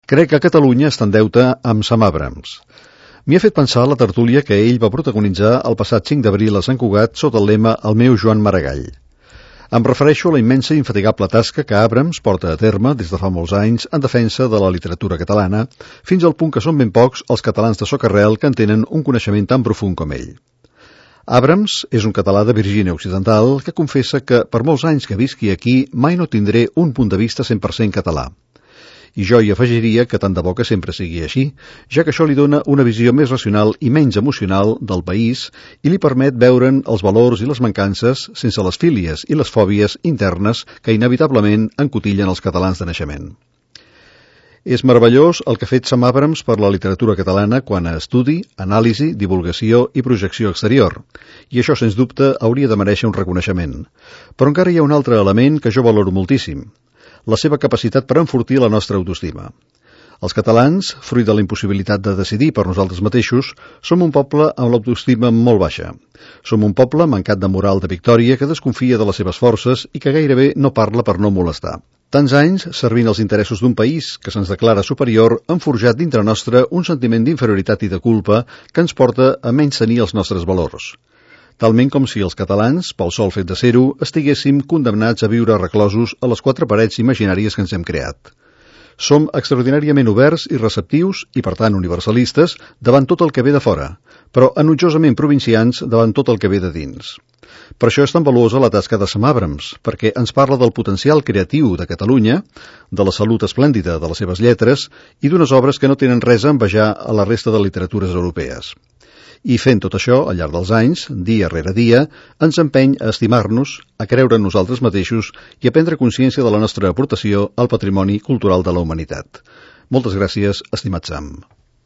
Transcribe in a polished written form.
Crec que Catalunya està en deute amb Sam Abrams. M'hi ha fet pensar la tertúlia que ell va protagonitzar el passat 5 d'abril a Sant Cugat sota el lema El meu Joan Maragall. Em refereixo a la immensa i infatigable tasca que Abrams porta a terme des de fa molts anys en defensa de la literatura catalana, fins al punt que són ben pocs els catalans de socarrel que en tenen un coneixement tan profund com ell. Abrams és un català de Virgínia Occidental que confessa que per molts anys que visqui aquí mai no tindré un punt de vista 100% català. I jo hi afegiria que tant de bo que sempre sigui així, ja que això li dona una visió més racional i menys emocional del país i li permet veure'n els valors i les mancances sense les fílies i les fòbies internes que inevitablement encotillen els catalans de naixement. És meravellós el que ha fet Sam Abrams per la literatura catalana quant a estudi, anàlisi, divulgació i projecció exterior, i això sens dubte hauria de mereixer un reconeixement. Però encara hi ha un altre element que jo valoro moltíssim, la seva capacitat per enfortir la nostra autoestima. Els catalans, fruit de la impossibilitat de decidir per nosaltres mateixos, som un poble amb l'autoestima molt baixa. Som un poble mancat de moral de victòria que desconfia de les seves forces i que gairebé no parla per no molestar. Tants anys servint els interessos d'un país que se'ns declara superior han forjat dintre nostre un sentiment d'inferioritat i de culpa que ens porta a menystenir els nostres valors. Talment com si els catalans, pel sol fet de ser-ho, estiguéssim condemnats a viure reclosos a les 4 parets imaginàries que ens hem creat. Som extraordinàriament oberts i receptius, i per tant universalistes, davant tot el que ve de fora, però enutjosament provincians davant tot el que ve de dins. Per això és tan valuosa la tasca de Sam Abrams, perquè ens parla del potencial creatiu de Catalunya, de la salut esplèndida de les seves lletres i d'unes obres que no tenen res a envejar a la resta de literatures europees. I fent tot això, al llarg dels anys, dia rere dia, ens empeny a estimar-nos, a creure en nosaltres mateixos i a prendre consciència de la nostra aportació al patrimoni cultural de la humanitat. Moltes gràcies, estimat Sam.